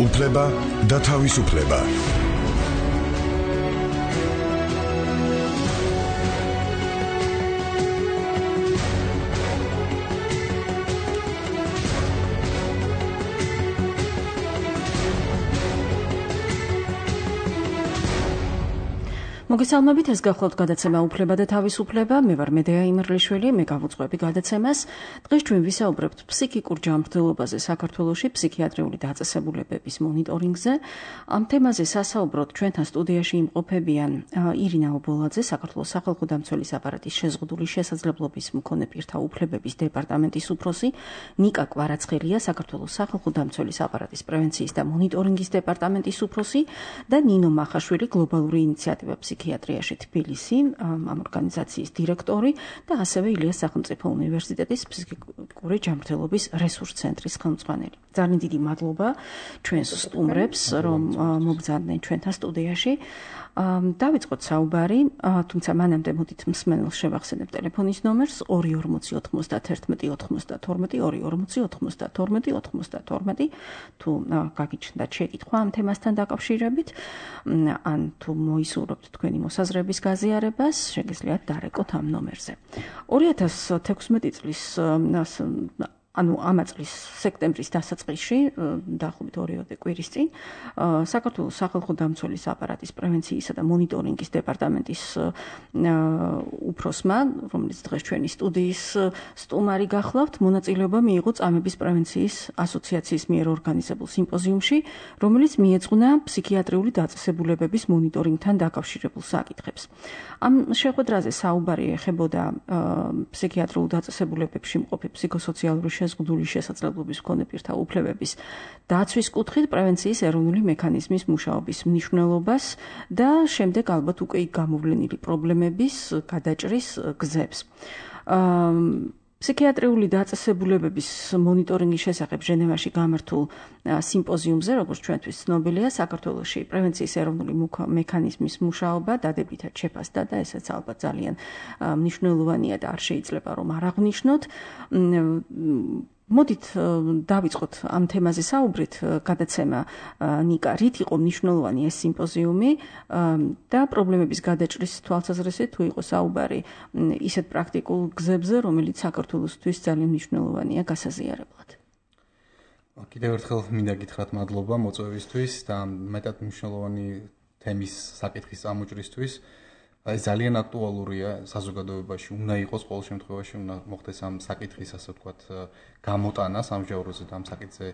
უფლება და თავისუფლება. მოგესალმებით, ეს გახლავთ გადაცემა უფლება და თავისუფლება. მე ვარ მედეა იმერლიშვილი, მე გავუძღვები გადაცემას. დღეს ჩვენ ვისაუბრებთ ფსიქიკურ ჯანმრთელობაზე საქართველოში, ფსიქიატრიული დაწესებულებების მონიტორინგზე. ამ თემაზე სასაუბროდ ჩვენთან სტუდიაში იმყოფებიან ირინა ობოლაძე, საქართველოს სახალხო დამცველის აპარატის შეზღუდული შესაძლებლობის მქონე პირთა უფლებების დეპარტამენტის უფროსი, ნიკა კვარაცხელია, საქართველოს სახალხო დამცველის აპარატის პრევენციის და მონიტორინგის დეპარტამენტის უფროსი და ნინო მახაშვილი, გლობალური ინიციატივა ფსიქიატრიაში თბილისი, ამ ორგანიზაციის დირექტორი და ასევე ილიას სახელმწიფო უნივერსიტეტის ფსიქიკური ჯანმრთელობის რესურს ცენტრის ხელმძღვანელი. ძალიან დიდი მადლობა ჩვენს სტუმრებს, რომ მოგზაურდნენ ჩვენთან სტუდიაში. დავიწყოთ საუბარი, თუმცა მანამდე მოდით მსმენელს შევახსენებ ტელეფონის ნომერს 2409192 თუ გაგიჩნდათ შეკითხვა ამ თემასთან დაკავშირებით, ან თუ მოისურვებთ თქვენი მოსაზრების გაზიარებას, შეგიძლიათ დარეკოთ ამ ნომერზე. 2016 წლის ამ წლის სექტემბრის დასაწყისში, დაახლოებით 2 კვირის წინ, საქართველოს სახალხო დამცველის აპარატის პრევენციისა და მონიტორინგის დეპარტამენტის უფროსმა, რომელიც დღეს ჩვენი სტუდიის სტუმარი გახლავთ, მონაწილეობა მიიღო წამების პრევენციის ასოციაციის მიერ ორგანიზებულ სიმპოზიუმში, რომელიც მიეძღვნა ფსიქიატრიული დაწესებულებების მონიტორინგთან დაკავშირებულ საკითხებს. ამ შეხვედრაზე საუბარი ეხებოდა ფსიქიატრიულ დაწესებულებებში მყოფი ფსიქოსოციალური შეზღუდული შესაძლებლობის მქონე პირთა უფლებების დაცვის კუთხით პრევენციის ეროვნული მექანიზმის მუშაობის მნიშვნელობას და შემდეგ ალბათ უკვე გამოვლენილი პრობლემების გადაჭრის გზებს. ფსიქიატრიული დაწესებულებების მონიტორინგის შესახებ ჟენევაში გამართულ სიმპოზიუმზე, როგორც ჩვენთვის ცნობილია, საქართველოში პრევენციის ეროვნული მექანიზმის მუშაობა დადებითად შეფასდა და ესეც ალბათ ძალიან მნიშვნელოვანია და არ შეიძლება რომ არ აღვნიშნოთ. მოდით დავიწყოთ ამ თემაზე საუბრით, გადაცემა ნიკა, რით იყო მნიშვნელოვანი ეს სიმპოზიუმი და პრობლემების გადაჭრის თვალსაზრისით თუ იყო საუბარი ისეთ პრაქტიკულ გზებზე, რომელიც საქართველოსთვის ძალიან მნიშვნელოვანია გასაზიარებლად. კიდევ ერთხელ მინდა გითხრათ მადლობა მოწვევისთვის და მეტად მნიშვნელოვანი თემის საკითხის წამოჭრისთვის. ძალიან აქტუალურია საზოგადოებაში, უნდა იყოს ყოველ შემთხვევაში, უნდა მოხდეს ამ საკითხის, ასე ვთქვათ, გამოტანა სამჟავროზე და ამ საკითხზე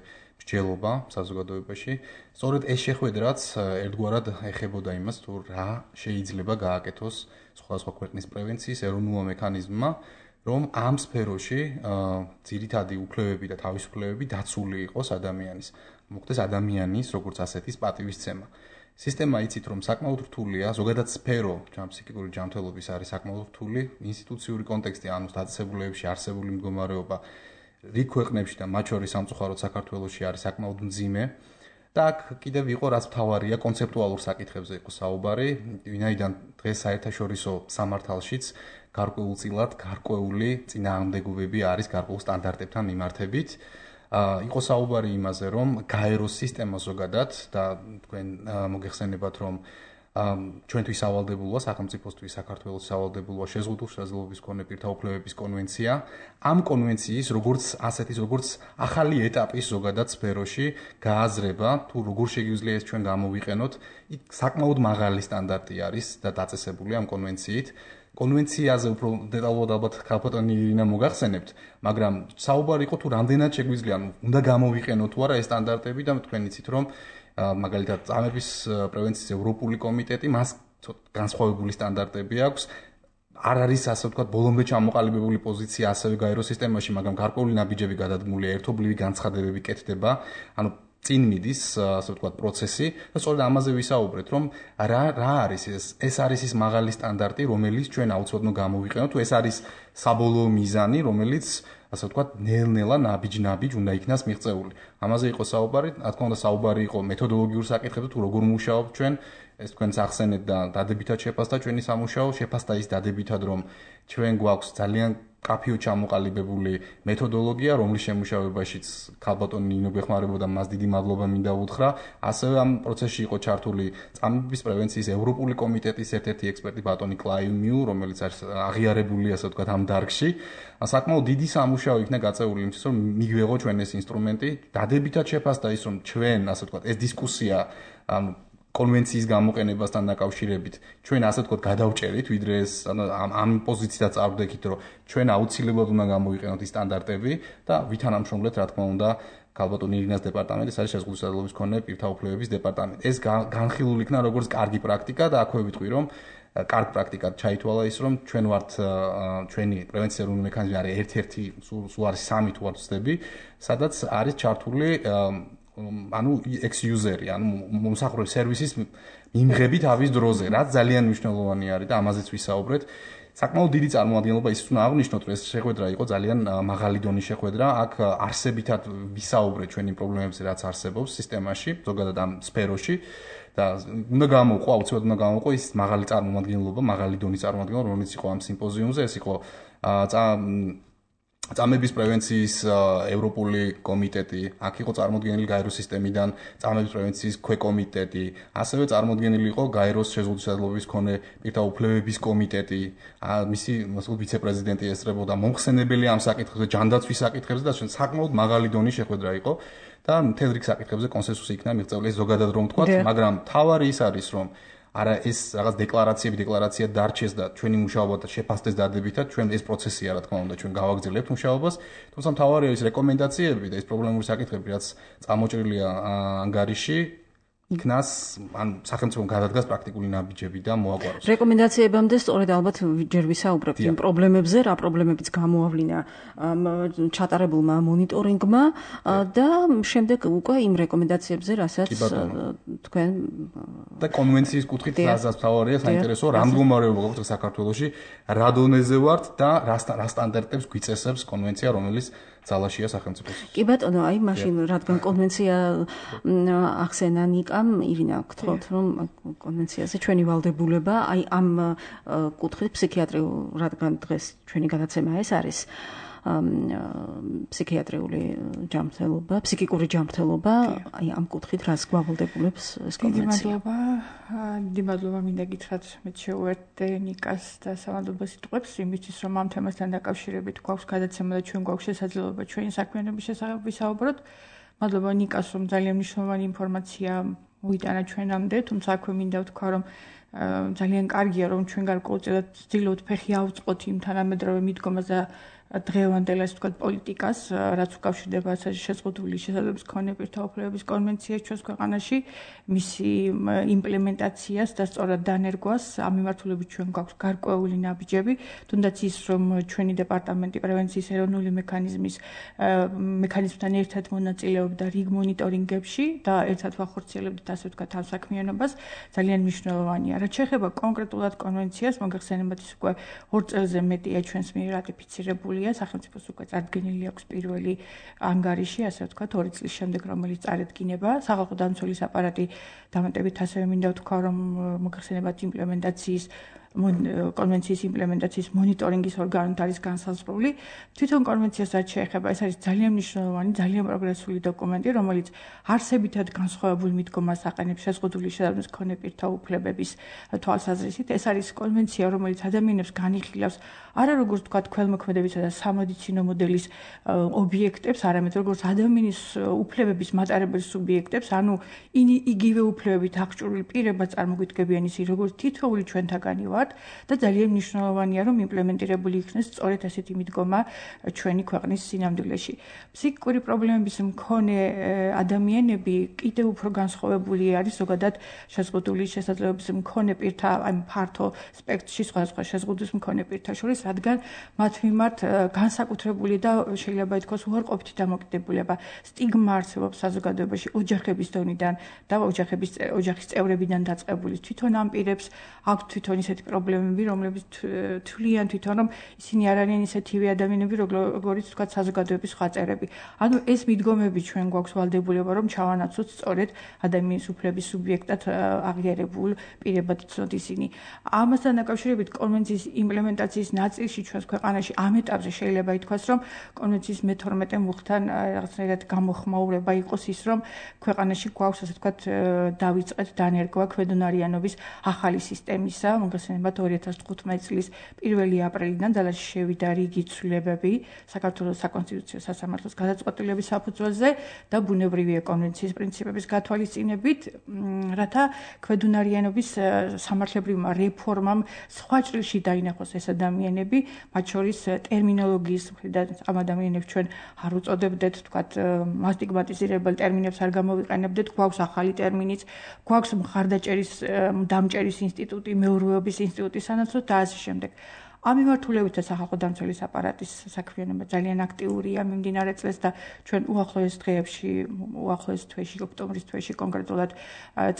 მსჯელობა საზოგადოებაში. სწორედ ეს შეხვედრაც ერთგვარად ეხებოდა იმას, თუ რა შეიძლება გააკეთოს სხვადასხვა ქვეყნის პრევენციის ეროვნულმა მექანიზმმა, რომ ამ სფეროში ძირითადი უფლებები და თავისუფლებები დაცული იყოს ადამიანის. მოხდეს ადამიანის როგორც ასეთის პატივისცემა. სისტემა იცით რომ საკმაოდ რთულია, ზოგადად სფერო ფსიქიკური ჯანმრთელობის არის საკმაოდ რთული, ინსტიტუციური კონტექსტი, ანუ დაწესებულებებში არსებული მდგომარეობა რიგ ქვეყნებში და მათ შორის სამწუხაროდ საქართველოში არის საკმაოდ მძიმე. და აქ კიდევ იყო რაც მთავარია, კონცეპტუალურ საკითხებზე იყო საუბარი, ვინაიდან დღეს საერთაშორისო სამართალშიც გარკვეულწილად გარკვეული წინააღმდეგობები არის გარკვეულ სტანდარტებთან მიმართებით. იყო საუბარი იმაზე, რომ გაეროს სისტემა ზოგადად და თქვენ მოგეხსენებათ, რომ ჩვენთვის სავალდებულოა, სახელმწიფოსთვის საქართველოს სავალდებულოა შეზღუდული შესაძლებლობის მქონე პირთა უფლებების კონვენცია. ამ კონვენციის როგორც ასეთის, როგორც ახალი ეტაპის ზოგადად სფეროში გააზრება, თუ როგორ შეგვიძლია ეს ჩვენ გამოვიყენოთ, იქ საკმაოდ მაღალი სტანდარტი არის და დაწესებული ამ კონვენციით. კონვენციაზე უფრო დეტალურად ალბათ ქალბატონი ირინა მოგახსენებთ, მაგრამ საუბარი იყო თუ რამდენად შეგვიძლია, უნდა გამოვიყენოთ თუ არა ეს სტანდარტები და თქვენ იცით რომ მაგალითად წამების პრევენციის ევროპული კომიტეტი მას განსხვავებული სტანდარტები აქვს. არ არის ასე ვთქვათ ბოლომდე ჩამოყალიბებული პოზიცია ასევე გაეროს სისტემაში, მაგრამ გარკვეული ნაბიჯები გადადგმულია, ერთობლივი განცხადებები კეთდება, ანუ წინ მიდის, ასე ვთქვათ, პროცესი და სწორედ ამაზე ვისაუბრეთ, რომ რა არის ეს არის ის მაღალი სტანდარტი, რომელიც ჩვენ აუცილებლად გამოვიყენოთ, თუ ეს არის საბოლოო მიზანი, რომელიც ასე ვთქვათ, ნელ-ნელა ნაბიჯ-ნაბიჯ უნდა იქნას მიღწეული. ამაზე იყო საუბარი, რა თქმა უნდა, საუბარი იყო მეთოდოლოგიურ საკითხებზე, თუ როგორ მუშაობთ ჩვენ, ეს თქვენს ახსენეთ და დადებითად შეფასდა ჩვენი სამუშაო, შეფასდა ის დადებითად, რომ ჩვენ გვაქვს ძალიან კაფეო ჩამოყალიბებული მეთოდოლოგია, რომლის შემუშავებაშიც ქალბატონი ნინო გვეხმარებოდა, მას დიდი მადლობა მინდა უთხრა. ასევე ამ პროცესში იყო ჩართული წამების პრევენციის ევროპული კომიტეტის ერთ-ერთი ექსპერტი ბატონი კლაიუმიუ, რომელიც არის აღიარებული, ასე ვთქვათ, ამ დარგში. საკმაოდ დიდი სამუშაო იქნა გაწეული იმისთვის, რომ მიგვეღო ჩვენ ეს ინსტრუმენტი. დადებითად შეფასდა ის, რომ ჩვენ, ასე ვთქვათ, ეს დისკუსია კონვენციის გამოყენებასთან დაკავშირებით ჩვენ ასე ვთქვათ გადავჭერით, ვიდრე ეს ამ პოზიციიდან წავდექით, რომ ჩვენ აუცილებლად უნდა გამოვიყენოთ ის სტანდარტები და ვითანამშრომლეთ, რა თქმა უნდა, ქალბატონი ირინას დეპარტამენტის არის შეზღუდული სადელობის მქონე პირთა უფლებების დეპარტამენტი. ეს განხილული იქნა როგორც კარგი პრაქტიკა და აქვე ვიტყვი, რომ კარგ პრაქტიკად ჩაითვალა ის, რომ ჩვენ ვართ ჩვენი პრევენციის ეროვნული მექანიზმი არის ერთ-ერთი, სულ არის 3 თუ არ ვცდები, სადაც არის ჩართული ანუ ex-user-ი, ანუ მომსახურების სერვისის მიმღები თავის დროზე, რაც ძალიან მნიშვნელოვანი არის და ამაზეც ვისაუბრეთ. საკმაოდ დიდი წარმომადგენლობა ის უნდა აღნიშნოთ, რომ ეს შეხვედრა იყო ძალიან მაღალი დონის შეხვედრა. აქ არსებითად ვისაუბრეთ ჩვენი პრობლემებზე, რაც არსებობს სისტემაში, ზოგადად ამ სფეროში და უნდა გამოვყო, აუცილებლად უნდა გამოვყო ის მაღალი წარმომადგენლობა, მაღალი დონის წარმომადგენლობა, რომელიც იყო ამ სიმპოზიუმზე, ეს იყო წამების პრევენციის ევროპული კომიტეტი, აქ იყო წარმოდგენილი გაეროს სისტემიდან წამების პრევენციის ქვეკომიტეტი, ასევე წარმოდგენილი იყო გაეროს შეზღუდული სადელობის მქონე პირთა უფლებების კომიტეტი, მისი ვიცე-პრეზიდენტი ესწრებოდა მომხსენებელი ამ საკითხებზე, ჯანდაცვის საკითხებზე და საკმაოდ მაღალი დონის შეხვედრა იყო და მთელ რიგ საკითხებზე კონსენსუსი იქნა მიღწეული, ზოგადად რომ ვთქვათ, მაგრამ თავარი ის არის, რომ არა ეს რაღაც დეკლარაცია დარჩეს და ჩვენი მუშაობა და შეფასდეს დადებითად, ჩვენ ეს პროცესია, რა თქმა უნდა, ჩვენ გავაგრძელებთ მუშაობას, თუმცა მთავარია ის რეკომენდაციები და ეს პრობლემური საკითხები, რაც წამოჭრილია ანგარიში, იქნას ან სახელმწიფომ გადადგას პრაქტიკული ნაბიჯები და მოაგვაროს. რეკომენდაციებამდე სწორედ ალბათ ჯერ ვისაუბრებთ იმ პრობლემებზე, რა პრობლემებიც გამოავლინა ჩატარებულმა მონიტორინგმა და შემდეგ უკვე იმ რეკომენდაციებზე, რასაც თქვენ და კონვენციის კუთხით რაზეც თავარია საინტერესო, რა მდგომარეობა გვაქვს საქართველოში, რა დონეზე ვართ და რა სტანდარტებს გვიწესებს კონვენცია, რომელიც ძალაშია სახელმწიფოს. კი ბატონო, აი მაშინ რადგან კონვენცია ახსენა ნიკამ, ირინა, გთხოვთ, რომ კონვენციაზე ჩვენი ვალდებულება, აი ამ კუთხით ფსიქიატრიულ, რადგან დღეს ჩვენი გადაცემა ეს არის ფსიქიატრიული ჯანმრთელობა, ფსიქიკური ჯანმრთელობა, აი ამ კუთხით რას გვავალდებულებს ეს კონვენცია? დიდი მადლობა მინდა გითხრათ, მე შეუერთდე ნიკას და სამადლობას იტყვებს იმისთვის, რომ ამ თემასთან დაკავშირებით გვაქვს გადაცემა და ჩვენ გვაქვს შესაძლებლობა ჩვენი საქმიანობის შესახებ ვისაუბროთ. მადლობა ნიკას, რომ ძალიან მნიშვნელოვანი ინფორმაცია მოიტანა ჩვენამდე, თუმცა აქვე მინდა ვთქვა, რომ ძალიან კარგია, რომ ჩვენ გარკვეულწილად ვცდილობთ ფეხი ავწყოთ იმ თანამედროვე მიდგომას და დღევანდელ ასე ვთქვათ პოლიტიკას, რაც უკავშირდება შეზღუდული შესაძლებლობის მქონე პირთა უფლებების კონვენციას ჩვენს ქვეყანაში, მისი იმპლემენტაციას და სწორად დანერგვას ამ მიმართულებით ჩვენ გვაქვს გარკვეული ნაბიჯები, თუნდაც ის, რომ ჩვენი დეპარტამენტი პრევენციის ეროვნული მექანიზმთან ერთად მონაწილეობდა რიგ მონიტორინგებში და ერთად ვახორციელებდით ასე ვთქვათ ამ საქმიანობას, ძალიან მნიშვნელოვანია. რაც შეეხება კონკრეტულად კონვენციას, მოგეხსენებათ ის უკვე 2 წელზე მეტია ჩვენს მიერ რატიფიცირებული სახელმწიფოს უკვე წარდგენილი აქვს პირველი ანგარიში, ასე ვთქვათ, 2 წლის შემდეგ, რომელიც წარედგინება. სახალხო დამცველის აპარატი დამატებით ასევე მინდა ვთქვა, რომ მოგეხსენებათ იმპლემენტაციის კონვენციის იმპლემენტაციის მონიტორინგის ორგანოთ არის განსაზღვრული. თვითონ კონვენციას რაც შეეხება, ეს არის ძალიან მნიშვნელოვანი, ძალიან პროგრესული დოკუმენტი, რომელიც არსებითად განსხვავებულ მიდგომას აყენებს შეზღუდული შესაძლებლობის მქონე პირთა უფლებების თვალსაზრისით. ეს არის კონვენცია, რომელიც ადამიანებს განიხილავს არა როგორც თქვა ქველმოქმედებისა და სამედიცინო მოდელის ობიექტებს, არამედ როგორც ადამიანის უფლებების მატარებელ სუბიექტებს, ანუ იგივე უფლებებით აღჭურვილ პირებად წარმოგვიდგებიან ისე როგორც თითოეული ჩვენთაგანი ვართ და ძალიან მნიშვნელოვანია, რომ იმპლემენტირებული იქნეს სწორედ ასეთი მიდგომა ჩვენი ქვეყნის სინამდვილეში. ფსიქიკური პრობლემების მქონე ადამიანები კიდევ უფრო განსხვავებული არის ზოგადად შეზღუდული შესაძლებლობის მქონე პირთა, აი ფართო სპექტრში სხვადასხვა შეზღუდვის მქონე პირთა შორის, რადგან მათ მიმართ განსაკუთრებული და შეიძლება ითქვას უარყოფითი დამოკიდებულება, სტიგმა არსებობს საზოგადოებაში ოჯახების დონიდან და ოჯახის წევრებიდან დაწყებული. თვითონ ამ პირებს აქვს თვითონ ისეთი პრობლემები, რომლებიც თვლიან თვითონ, რომ ისინი არ არიან ისეთივე ადამიანები, როგორიც თქვა საზოგადოების სხვა წევრები. ანუ ეს მიდგომები ჩვენ გვაქვს ვალდებულება, რომ ჩავანაცვლოთ სწორედ ადამიანის უფლების სუბიექტად აღიარებულ პირებად იცნოთ ისინი. ამასთან დაკავშირებით კონვენციის იმპლემენტაციის ნაწილში ჩვენს ქვეყანაში ამ ეტაპზე შეიძლება ითქვას, რომ კონვენციის მე-12 მუხთან რაღაცნაირად გამოხმაურება იყოს ის, რომ ქვეყანაში გვაქვს ასე ვთქვათ დავიწყეთ დანერგვა ქვედუნარიანობის ახალი სისტემისა, მოგესალმებით 2015 წლის 1 აპრილიდან ძალაში შევიდა რიგი ცვლილებები საქართველოს საკონსტიტუციო სასამართლოს გადაწყვეტილების საფუძველზე და ბუნებრივია კონვენციის პრინციპების გათვალისწინებით, რათა ქვედუნარიანობის სამართლებრივმა რეფორმამ სხვა ჭრილში დაინახოს ეს ადამიანები, მათ შორის ტერმინოლოგიის მხრიდან ამ ადამიანებს ჩვენ არ უწოდებდეთ, თქვათ, მასტიგმატიზირებელ ტერმინებს არ გამოვიყენებდეთ, გვაქვს ახალი ტერმინიც, გვაქვს მხარდაჭერის დამჭერის ინსტიტუტი, მეურვეობის ინსტიტუტი სანაცვლოდ და ასე შემდეგ. ამ მიმართულებითაც სახალხო დამცველის აპარატის საქმიანობა ძალიან აქტიურია მიმდინარე წლებს და ჩვენ უახლოეს თვეში, ოქტომბრის თვეში კონკრეტულად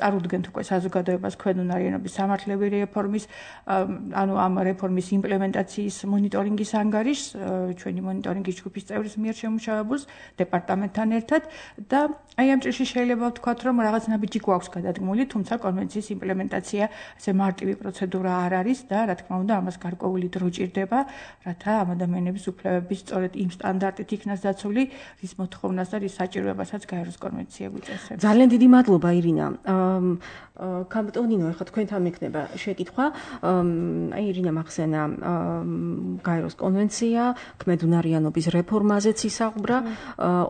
წარუდგენთ უკვე საზოგადოებას ქვედუნარიანობის სამართლებრივი რეფორმის, ანუ ამ რეფორმის იმპლემენტაციის მონიტორინგის ანგარიშს, ჩვენი მონიტორინგის ჯგუფის წევრის მიერ შემუშავებულს დეპარტამენტთან ერთად და აი ამ ჭრილში შეიძლება ვთქვათ, რომ რაღაც ნაბიჯი გვაქვს გადადგმული, თუმცა კონვენციის იმპლემენტაცია ასე მარტივი პროცედურა არ არის და რა თქმა უნდა ამას გარკვეული დრო ჭირდება, რათა ამ ადამიანების უფლებები სწორედ იმ სტანდარტით იქნას დაცული, რის მოთხოვნას და რის საჭიროებასაც გაეროს კონვენცია გვიწევს. ძალიან დიდი მადლობა ირინა. კაპიტონინო, ახლა თქვენთან მექნება შეკითხვა. აი ირინა მახსენა გაეროს კონვენცია, ქმედუნარიანობის რეფორმაზეც ისაუბრა.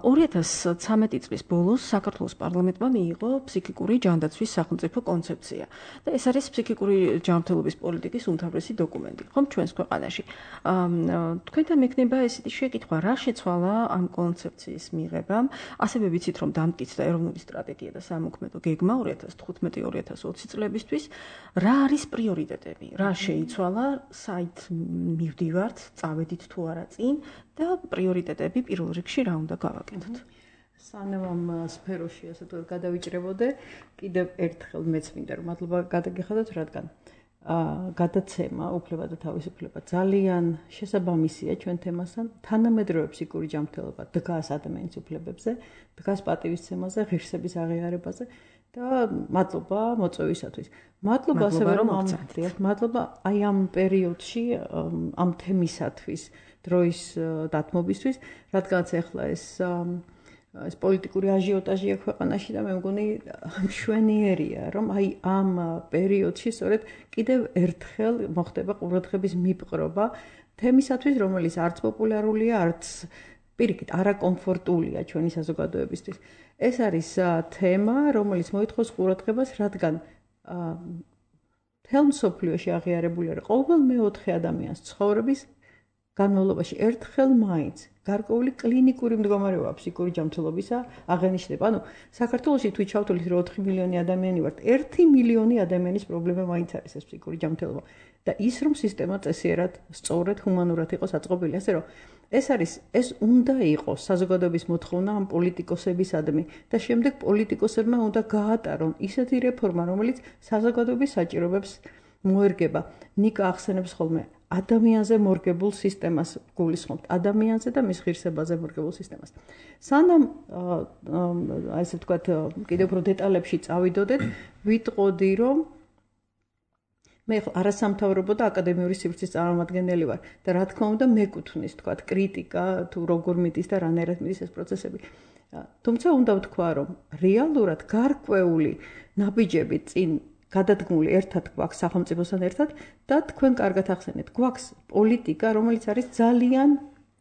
2013 წლის ბოლოს საქართველოს პარლამენტმა მიიღო ფსიქიკური ჯანდაცვის სახელმწიფო კონცეფცია. და ეს არის ფსიქიკური ჯანმრთელობის პოლიტიკის უმთავრესი დოკუმენტი, ხომ ჩვენს ქვეყანაში. თქვენთან მექნება ესეთი შეკითხვა, რა შეცვალა ამ კონცეფციის მიღებამ? ასევე ვიცით, რომ დამტკიცდა ეროვნული სტრატეგია და სამოქმედო გეგმა 2015-2020 წლებისთვის. რა არის პრიორიტეტები? რა შეიცვალა? საით მივდივართ, წავედით თუ არა წინ და პრიორიტეტები პირველ რიგში რა უნდა გავაკეთოთ? სანამ ამ სფეროში ასე თუ გადავიჭრებოდე, კიდევ ერთხელ მეც მინდა რომ მადლობა გადაგიხადოთ, რადგან გადაცემა უფლება და თავისუფლება ძალიან შესაბამისია ჩვენ თემასთან. თანამედროვე ფსიქიკური ჯანმრთელობა დგას ადამიანის უფლებებზე, დგას პატივისცემაზე, ღირსების აღიარებაზე და მადლობა მოწვევისათვის. მადლობა ასევე რომ მადლობა აი ამ პერიოდში ამ თემისათვის დროის დათმობისთვის, რადგანაც ახლა ეს პოლიტიკური აჟიოტაჟია ქვეყანაში და მე მგონი მშვენიერია, რომ აი ამ პერიოდში სწორედ კიდევ ერთხელ მოხდება ყურადღების მიპყრობა თემისათვის, რომელიც არც პოპულარულია, არც პირიქით არაკომფორტულია ჩვენი საზოგადოებისთვის. ეს არის თემა, რომელიც მოითხოვს ყურადღებას, რადგან მთელ მსოფლიოში აღიარებული არის ყოველ მეოთხე ადამიანის ცხოვრების განმავლობაში ერთხელ მაინც გარკვეული კლინიკური მდგომარეობა ფსიქიკური ჯანმრთელობისა აღენიშნება. ანუ საქართველოში თუ ჩავთვლით რომ 4 მილიონი ადამიანი ვართ, 1 მილიონი ადამიანის პრობლემა მაინც არის ეს ფსიქიკური ჯანმრთელობა. და ის რომ სისტემა წესიერად, სწორად, ჰუმანურად იყოს აწყობილი, ასე რომ ეს უნდა იყოს საზოგადოების მოთხოვნა ამ პოლიტიკოსებისადმი და შემდეგ პოლიტიკოსებმა უნდა გაატარონ ისეთი რეფორმა, რომელიც საზოგადოების საჭიროებებს მოერგება. ნიკა ახსენებს ხოლმე ადამიანზე მორგებულ სისტემას გულისხმობთ, ადამიანზე და მის ღირსებაზე მორგებულ სისტემას. სანამ ასე ვთქვათ, კიდევ უფრო დეტალებში წავიდოდეთ, ვიტყოდი, რომ მე არასამთავრობო და აკადემიური სივრცის წარმომადგენელი ვარ და რა თქმა უნდა მეკუთვნის, ვთქვათ, კრიტიკა თუ როგორ მიდის და რანაირად მიდის ეს პროცესები. თუმცა უნდა ვთქვა, რომ რეალურად გარკვეული ნაბიჯები წინ გადადგმული ერთად გვაქვს სახელმწიფოსთან ერთად და თქვენ კარგად ახსენეთ, გვაქვს პოლიტიკა, რომელიც არის ძალიან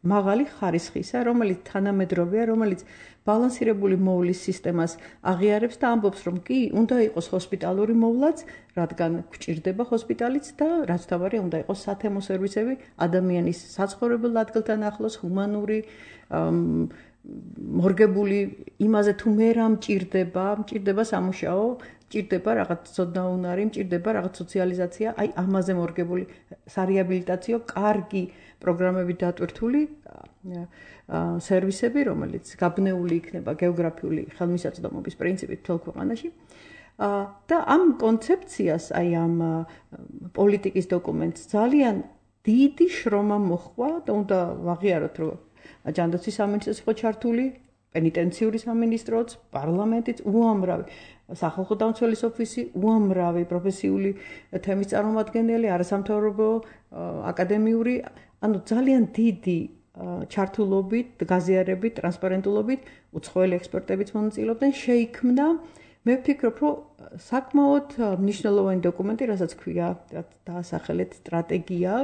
მაღალი ხარისხისა, რომელიც თანამედროვეა, რომელიც ბალანსირებული მოვლის სისტემას აღიარებს და ამბობს, რომ კი, უნდა იყოს ჰოსპიტალური მოვლაც, რადგან გვჭირდება ჰოსპიტალიც და რაც თავარია, უნდა იყოს სათემო სერვისები ადამიანის საცხოვრებელ ადგილთან ახლოს, ჰუმანური, მორგებული იმაზე თუ მე რა მჭირდება სამუშაო, მჭირდება რაღაც ცოდნაუნარი, მჭირდება რაღაც სოციალიზაცია, აი ამაზე მორგებული სარეაბილიტაციო, კარგი პროგრამებით დატვირთული სერვისები, რომელიც გაბნეული იქნება გეოგრაფიული ხელმისაწვდომობის პრინციპით მთელ ქვეყანაში. და ამ კონცეფციას, აი ამ პოლიტიკის დოკუმენტს ძალიან დიდი შრომა მოჰყვა და უნდა ვაღიაროთ, რომ ჯანდაცვის სამინისტროს იყო ჩართული, პენიტენციური სამინისტროც, პარლამენტიც, უამრავი სახალხო დამცველის ოფისი, უამრავი პროფესიული თემის წარმომადგენელი, არასამთავრობო, აკადემიური, ანუ ძალიან დიდი ჩართულობით, გაზიარებით, ტრანსპარენტულობით, უცხოელი ექსპერტებიც მონაწილეობდნენ, შეიქმნა, მე ვფიქრობ, რომ საკმაოდ მნიშვნელოვანი დოკუმენტი, რასაც ქვია, დაასახელეთ სტრატეგია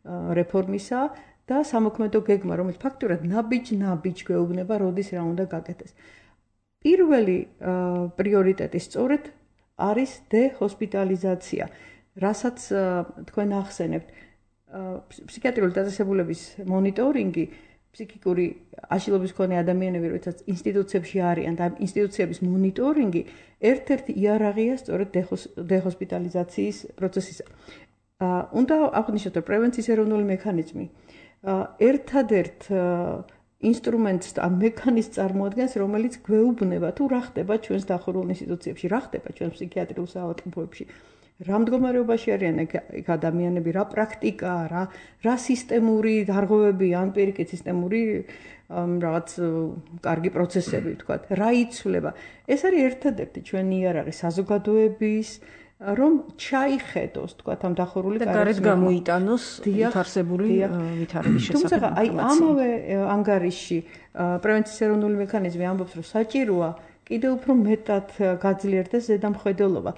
რეფორმისა და სამოქმედო გეგმა, რომელიც ფაქტურად ნაბიჯ გვეუბნება, როდის რა უნდა გაკეთდეს. პირველი პრიორიტეტი სწორედ არის დეჰოსპიტალიზაცია, რასაც თქვენ ახსენებთ. ფსიქიატრიული დაწესებულების მონიტორინგი, ფსიქიკური აშლილობის მქონე ადამიანები, როდესაც ინსტიტუციებში არიან და ინსტიტუციების მონიტორინგი ერთ-ერთი იარაღია სწორედ დეჰოსპიტალიზაციის პროცესისა. უნდა აღვნიშნოთ, რომ პრევენციის ეროვნული მექანიზმი ერთადერთ ინსტრუმენტს და მექანიზმს წარმოადგენს, რომელიც გვეუბნება თუ რა ხდება ჩვენს დახურულ ინსტიტუციებში, რა ხდება ჩვენს ფსიქიატრიულ საავადმყოფოებში. რა მდგომარეობაში არიან ეგ ადამიანები, რა პრაქტიკაა, რა სისტემური დარღვევები ან პირიქით სისტემური რაღაც კარგი პროცესები ვთქვათ, რა იცვლება. ეს არის ერთადერთი ჩვენი იარაღი საზოგადოების, რომ ჩაიხედოს, ვთქვათ, ამ დახურული და გარეთ გამოიტანოს ვითარსებული ვითარების შესახებ. თუმცა აი ამავე ანგარიშში პრევენციის ეროვნული მექანიზმი ამბობს, რომ საჭიროა კიდევ უფრო მეტად გაძლიერდეს ზედამხედველობა.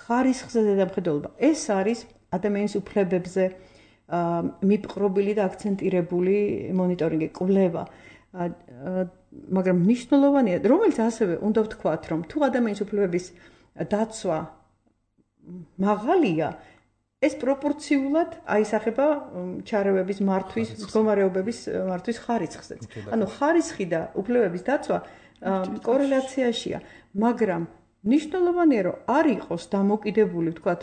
ხარისხზე ზედამხედველობა. ეს არის ადამიანის უფლებებზე მიპყრობილი და აქცენტირებული მონიტორინგი, კვლევა. მაგრამ მნიშვნელოვანია, რომელიც ასევე უნდა ვთქვათ, რომ თუ ადამიანის უფლებების დაცვა მაღალია, ეს პროპორციულად აისახება ჩარევების მართვის, მდგომარეობების მართვის ხარისხზე. ანუ ხარისხი და უფლებების დაცვა კორელაციაშია, მაგრამ ნიშნულოვანია, რომ არ იყოს დამოკიდებული, ვთქვათ,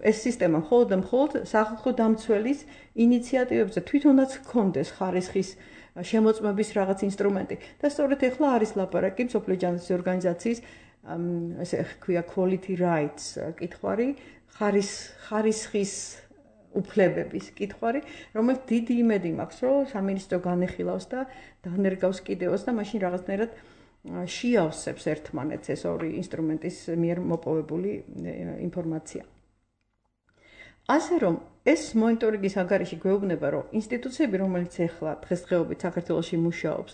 ეს სისტემა მხოლოდ სახალხო დამცველის ინიციატივებზე თვითონაც ჰქონდეს ხარისხის შემოწმების რაღაც ინსტრუმენტი. და სწორედ ეხლა არის ლაპარაკი მსოფლიო ჯანდაცვის ორგანიზაციის ესე ქვია quality rights კითხვარი, ხარისხის უფლებების კითხვარი, რომელიც დიდი იმედი მაქვს, რომ სამინისტრო განეხილავს და დანერგავს კიდევაც და მაშინ რაღაცნაირად შეავსებს ერთმანეთს ეს ორი ინსტრუმენტის მიერ მოპოვებული ინფორმაცია. ასე რომ ეს მონიტორინგის ანგარიში გვეუბნება, რომ ინსტიტუციები, რომელიც ახლა დღესდღეობით საქართველოში მუშაობს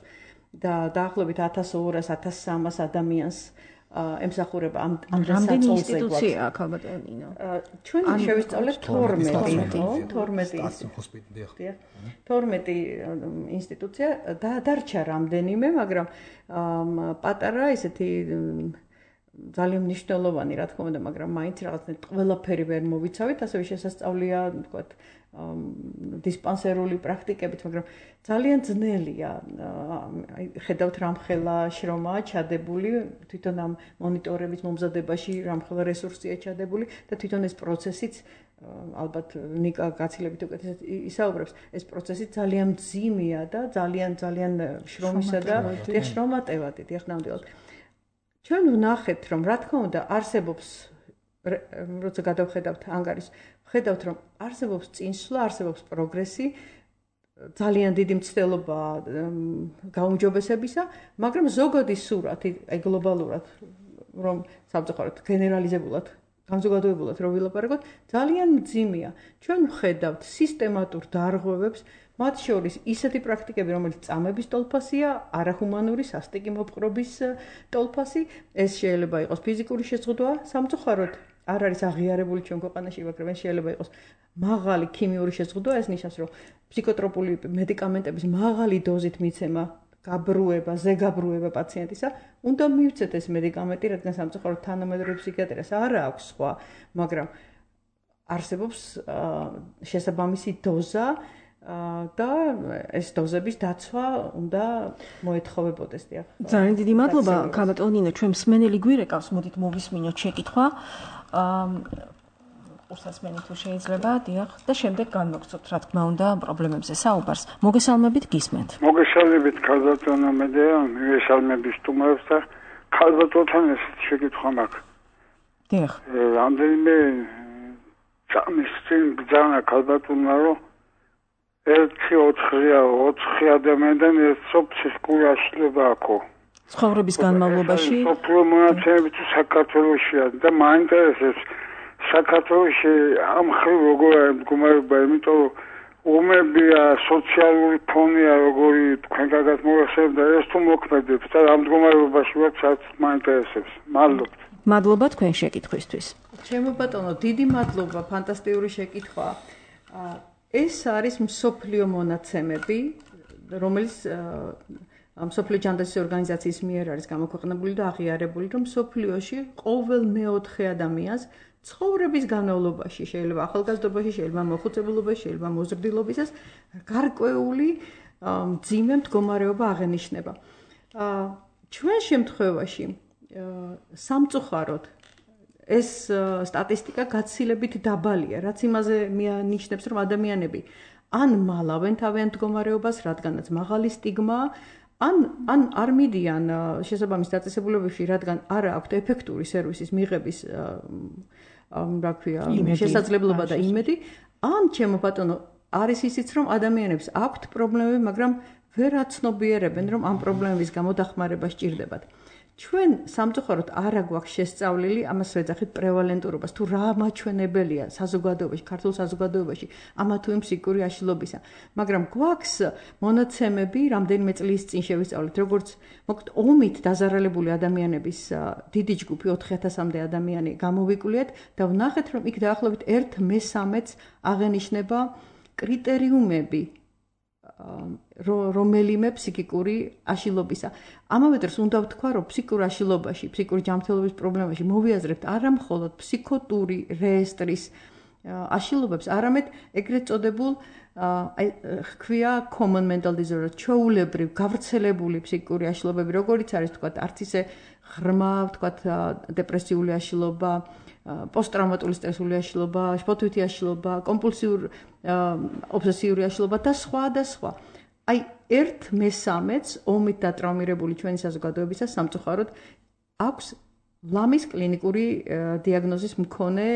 და დაახლოებით 1200-1300 ადამიანს ემსახურება ამ რამდენი ინსტიტუცია აქ ალბათონინო? ჩვენ შევისწავლეთ 12 ინსტიტუცია და დარჩა რამდენიმე, მაგრამ პატარა ესეთი ძალიან მნიშვნელოვანი, რა თქმა უნდა, მაგრამ მაინც რაღაცნაირად ყველაფერი ვერ მოვიცავით, ასევე შესასწავლია, ვთქვათ, დისპანსერული პრაქტიკებით, მაგრამ ძალიან ძნელია. ხედავთ რამხელა შრომაა ჩადებული, თვითონ ამ მონიტორების მომზადებაში რამხელა რესურსია ჩადებული და თვითონ ეს პროცესიც ალბათ ნიკა გაცილებით უკეთესად ისაუბრებს, ეს პროცესი ძალიან მძიმეა და ძალიან შრომისა და შრომატევადი, დიახ, ნამდვილად. ჩვენ ვნახეთ, რომ რა თქმა უნდა არსებობს, როცა გადავხედავთ ანგარიშს, ხედავთ, რომ არსებობს წინსვლა, არსებობს პროგრესი, ძალიან დიდი მცდელობა გაუმჯობესებისა, მაგრამ ზოგადი სურათი, აი გლობალურად, რომ სამწუხაროდ გენერალიზებულად, განზოგადოებულად რომ ვილაპარაკოთ, ძალიან მძიმეა. ჩვენ ვხედავთ სისტემატურ დარღვევებს, მათ შორის ისეთი პრაქტიკები, რომელიც წამების ტოლფასია, არაჰუმანური სასტიკი მოპყრობის ტოლფასი, ეს შეიძლება იყოს ფიზიკური შეზღუდვა, სამწუხაროდ არ არის აღიარებული ჩვენ ქვეყანაში, მაგრამ შეიძლება იყოს მაღალი ქიმიური შეზღუდვა, ეს ნიშნავს, რომ ფსიქოტროპული მედიკამენტების მაღალი დოზით მიცემა, გაბრუება, ზეგაბრუება პაციენტისა, უნდა მივცეთ ეს მედიკამენტი, რადგან სამწუხაროდ თანამედროვე ფსიქიატრიას არ აქვს სხვა, მაგრამ არსებობს შესაბამისი დოზა და ეს დოზების დაცვა უნდა მოეთხოვებოდეს, დიახ. ძალიან დიდი მადლობა, ქალბატონინო, ჩვენ მსმენელი გვირეკავს, მოდით მოვისმინოთ შეკითხვა. ურსასმენი თუ შეიძლება, დიახ, და შემდეგ განმოგცოთ, რა თქმა უნდა, პრობლემებზე საუბარს. მოგესალმებით, გისმენთ. მოგესალმებით, ქალბატონო მედეა, მივესალმები სტუმრებს და ქალბატონთან ესეთი შეკითხვა მაქვს. დიახ. რამდენიმე წამის წინ ბრძანა ქალბატონმა, რომ 4 ადამიანიდან ერთსო ფსიქიკური აშლილობა აქვს. ცხოვრების განმავლობაში სოფლიო მონაცემები თუ საქართველოშია და მაინტერესებს საქართველოში ამ ხრივ როგორია მდგომარეობა, იმიტომ რომ უმებია სოციალური ფონია როგორი თქვენ კარგად მოახსენებთ და ეს თუ მოქმედებს და ამ მდგომარეობაში ვართ, სადაც მაინტერესებს. მადლობა. მადლობა თქვენ შეკითხვისთვის. ჩემო ბატონო, დიდი მადლობა, ფანტასტიკური შეკითხვა. ეს არის მსოფლიო მონაცემები, რომელიც მსოფლიო ჯანდაცვის ორგანიზაციის მიერ არის გამოქვეყნებული და აღიარებული, რომ მსოფლიოში ყოველ მეოთხე ადამიანს ცხოვრების განმავლობაში, შეიძლება ახალგაზრდობაში, შეიძლება მოხუცებულობაში, შეიძლება მოზრდილობისას გარკვეული მძიმე მდგომარეობა აღენიშნება. ჩვენ შემთხვევაში სამწუხაროდ ეს სტატისტიკა გაცილებით დაბალია, რაც იმაზე მიანიშნებს, რომ ადამიანები ან მალავენ თავიანთ მდგომარეობას, რადგანაც მაღალი სტიგმაა, ან არ მიდიან შესაბამის დაწესებულებებში, რადგან არ აქვთ ეფექტური სერვისის მიღების რა ქვია, შესაძლებლობა და იმედი, ან ჩემო ბატონო, არის ისიც, რომ ადამიანებს აქვთ პრობლემები, მაგრამ ვერ აცნობიერებენ, რომ ამ პრობლემების გამო დახმარება სჭირდებათ. ჩვენ სამწუხაროდ არ აგვაქვს შესწავლილი ამას ვეძახით პრევალენტურობას, თუ რა მაჩვენებელია საზოგადოებაში, ქართულ საზოგადოებაში ამა თუ იმ ფსიქიკური აშლილობისა. მაგრამ გვაქვს მონაცემები, რამდენიმე წლის წინ შევისწავლეთ, როგორც მოკლედ ომით დაზარალებული ადამიანების დიდი ჯგუფი 4000-მდე ადამიანი გამოვიკვლიეთ და ვნახეთ, რომ იქ დაახლოებით 1/3-ს აღენიშნება კრიტერიუმები რომელიმე ფსიქიკური აშლილობისა. ამავე დროს უნდა ვთქვა, რომ ფსიქურ აშლილობაში, ფსიქური ჯანმრთელობის პრობლემაში მოვიაზრებთ არა მხოლოდ ფსიქოტური რეესტრის აშლილობებს, არამედ ეგრეთ წოდებულ ჰქვია common mental disorder, ჩვეულებრივ გავრცელებული ფსიქიკური აშლილობები, როგორიც არის თქვა, არც ისე ღრმა, თქვა, დეპრესიული აშლილობა, პოსტტრავმატული სტრესული აშლილობა, შფოთვითი აშლილობა, კომპულსიური ობსესიური აშლილობა და სხვა და სხვა. აი 1/3-ს ომით დატრაუმირებული ჩვენი საზოგადოებისა სამწუხაროდ აქვს ლამის კლინიკური დიაგნოზის მქონე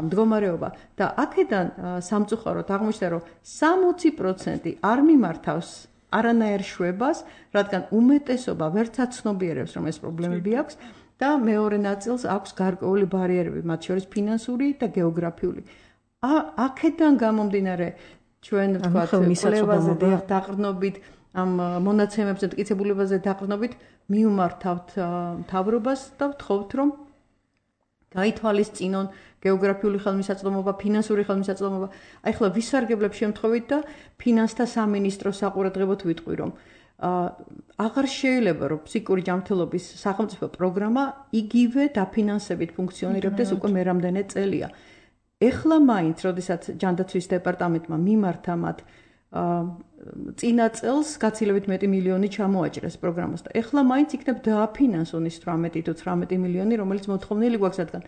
მდგომარეობა და აქედან სამწუხაროდ აღმოჩნდა, რომ 60% არ მიმართავს არანაირ შვებას, რადგან უმეტესობა ვერც აცნობიერებს, რომ ეს პრობლემები აქვს და მეორე ნაწილს აქვს გარკვეული ბარიერები, მათ შორის ფინანსური და გეოგრაფიული. აქედან გამომდინარე ჩვენ ვთქვათ, კვლევაზე დაყრდნობით, ამ მონაცემებზე, მტკიცებულებაზე დაყრდნობით, მიუმართავთ მთავრობას და ვთხოვთ, რომ გაითვალისწინონ გეოგრაფიული ხელმისაწვდომობა, ფინანსური ხელმისაწვდომობა. აი ხლა ვისარგებლებ შემთხვევით და ფინანსთა სამინისტროს საყურადღებოდ ვიტყვი, რომ აღარ შეიძლება, რომ ფსიქიკური ჯანმრთელობის სახელმწიფო პროგრამა იგივე დაფინანსებით ფუნქციონირებდეს უკვე მე რამდენიმე წელია. ეხლა მაინც, როდესაც ჯანდაცვის დეპარტამენტმა მიმართა მათ წინა წელს გაცილებით მეტი მილიონი ჩამოაჭრეს პროგრამას და ეხლა მაინც იქნებ დააფინანსონ ის 18 თუ 19 მილიონი, რომელიც მოთხოვნილი გვაქვს, რადგან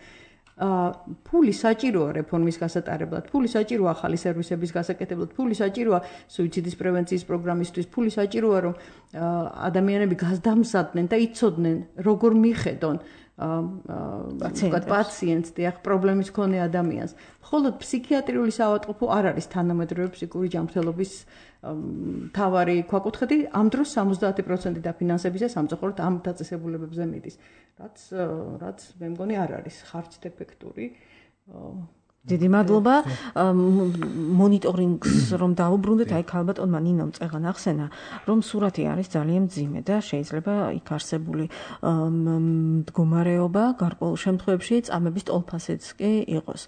ფული საჭიროა რეფორმის გასატარებლად, ფული საჭიროა ახალი სერვისების გასაკეთებლად, ფული საჭიროა სუიციდის პრევენციის პროგრამისთვის, ფული საჭიროა, რომ ადამიანები გასდამზადდნენ და იცოდნენ, როგორ მიხედონ პაციენტს, დიახ, პრობლემის მქონე ადამიანს. მხოლოდ ფსიქიატრიული საავადმყოფო არ არის თანამედროვე ფსიქიკური ჯანმრთელობის მთავარი ქვაკუთხედი, ამ დროს 70% დაფინანსებისა სამწუხაროდ ამ დაწესებულებებზე მიდის, რაც მე მგონი არ არის ხარჯდეფექტური. დიდი მადლობა. მონიტორინგს რომ დაუბრუნდეთ, აი ქალბატონმა ნინომ წეღან ახსენა, რომ სურათი არის ძალიან მძიმე და შეიძლება იქ არსებული მდგომარეობა გარკვეულ შემთხვევებში წამების ტოლფასიც კი იყოს.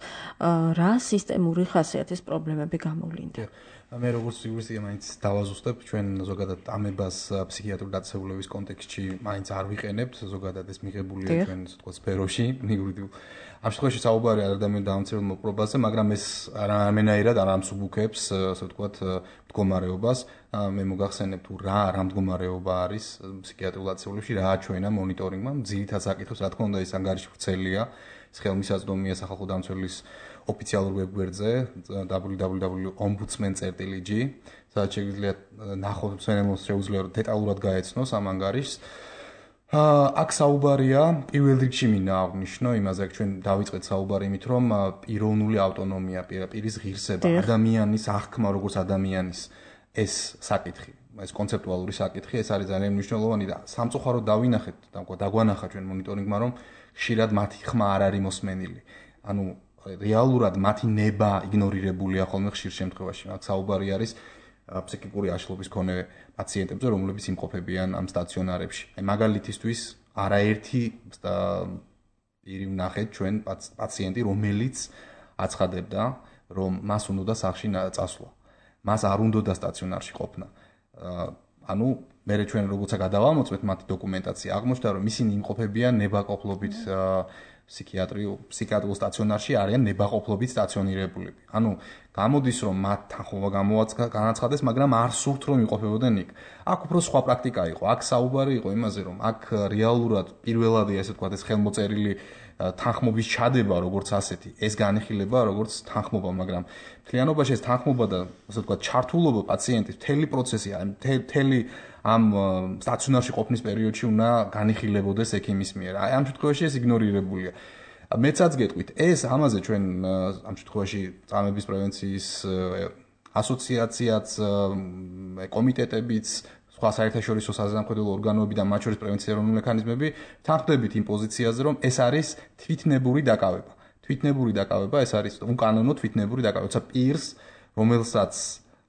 რა სისტემური ხასიათის პრობლემები გამოვლინდა? მე როგორც იურისტია მაინც დავაზუსტებ, ჩვენ ზოგადად ამებას ფსიქიატრული დაწესებულების კონტექსტში მაინც არ ვიყენებთ, ზოგადად ეს მიღებულია ჩვენ ასე ვთქვათ სფეროში, იურიდიულ. ამ შემთხვევაში საუბარი არ ადამიანის დამცირებელ მოპყრობაზე, მაგრამ ეს არამენაირად არ ამსუბუქებს, ასე ვთქვათ, მდგომარეობას. მე მოგახსენებ თუ რა მდგომარეობა არის ფსიქიატრულ დაწესებულებში, რა აჩვენა მონიტორინგმა, ძირითად საკითხს, რა თქმა უნდა, ეს ანგარიში ვრცელია, ეს ხელმისაწვდომია სახალხო დამცველის ოფიციალურ ვებგვერდზე www.ombudsman.gr, სადაც შეგვიძლია ნახოთ, შეუძლია დეტალურად გაეცნოს ამ ანგარიშს. აქ საუბარია პირველ რიგში მინდა აღნიშნო იმაზე, რომ ჩვენ დავიწყეთ საუბარი იმით, რომ პიროვნული ავტონომია, პირის ღირსება, ადამიანის აღქმა როგორც ადამიანის ეს საკითხი, ეს კონცეპტუალური საკითხი, ეს არის ძალიან მნიშვნელოვანი და სამწუხაროდ დავინახეთ, დაგვანახა ჩვენ მონიტორინგმა, რომ ხშირად მათი ხმა არ არის მოსმენილი. ანუ რეალურად მათი ნება იგნორირებულია ხოლმე ხშირ შემთხვევაში. აქ საუბარი არის ფსიქიკური აშლობის მქონე პაციენტებზე, რომლებიც იმყოფებიან ამ სტაციონარებში. აი მაგალითისთვის არაერთი პირი ვნახეთ ჩვენ პაციენტი, რომელიც აცხადებდა, რომ მას უნდა სახლში წასვლა. მას არ უნდა სტაციონარში ყოფნა. ანუ მე ჩვენ როგორც გადავამოწმეთ მათი დოკუმენტაცია, აღმოჩნდა, რომ ისინი იმყოფებიან ნებაყოფლობით ფსიქიატრიულ სტაციონარში არიან ნებაყოფლობით სტაციონირებულები. ანუ გამოდის რომ მათ თანხმობა განაცხადეს, მაგრამ არ სურთ რომ იყოფებოდნენ იქ. აქ უფრო სხვა პრაქტიკა იყო. აქ საუბარი იყო იმაზე, რომ აქ რეალურად პირველადი ასე ვთქვათ, ეს ხელმოწერილი თანხმობის ჩადება, როგორც ასეთი, ეს განიხილება როგორც თანხმობა, მაგრამ მთლიანობაში ეს თანხმობა და ასე ვთქვათ, ჩართულობა პაციენტის მთელი პროცესი, მთელი ამ სტაციონარში ყოფნის პერიოდში უნდა განიხილებოდეს ექიმის მიერ. აი ამ შემთხვევაში ეს იგნორირებულია. მეცაც გეტყვით, ეს ამაზე ჩვენ ამ შემთხვევაში წამების პრევენციის ასოციაციაც, კომიტეტებიც, სხვა საერთაშორისო საზამთრებლო ორგანოები და მათ შორის პრევენციის ეროვნული მექანიზმები თანხმდებით იმ პოზიციაზე, რომ ეს არის თვითნებური დაკავება. თვითნებური დაკავება ეს არის უკანონო თვითნებური დაკავება. თუმცა პირს, რომელსაც